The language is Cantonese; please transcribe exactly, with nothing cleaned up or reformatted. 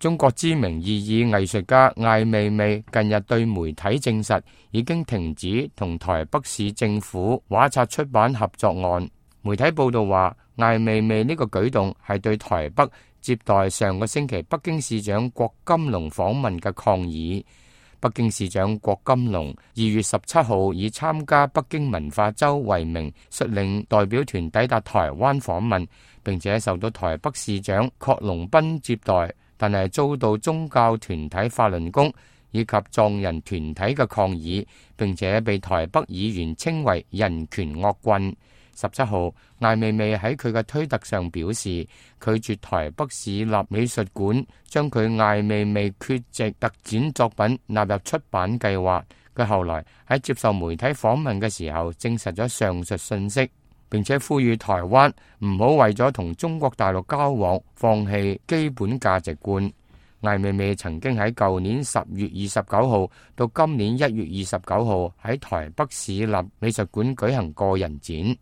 中國知名異議藝術家艾未未近日對媒體證實，已經停止同台北市政府畫冊出版合作案。媒體報道話，艾未未呢個舉動係對台北接待上個星期北京市長郭金龍訪問嘅抗議。北京市長郭金龍二月十七號以參加北京文化周為名，率領代表團抵達台灣訪問，並且受到台北市長郝龍斌接待，但係遭到宗教團體法輪功以及藏人團體嘅抗議，並且被台北議員稱為人權惡棍。十七號，艾未未喺佢嘅推特上表示，拒絕台北市立美術館將佢艾未未缺席特展作品納入出版計劃。佢後來喺接受媒體訪問嘅時候，證實咗上述信息，並且呼籲台灣唔好為咗同中國大陸交往，放棄基本價值觀。艾未未曾經喺舊年十月二十九號到今年一月二十九號喺台北市立美術館舉行個人展。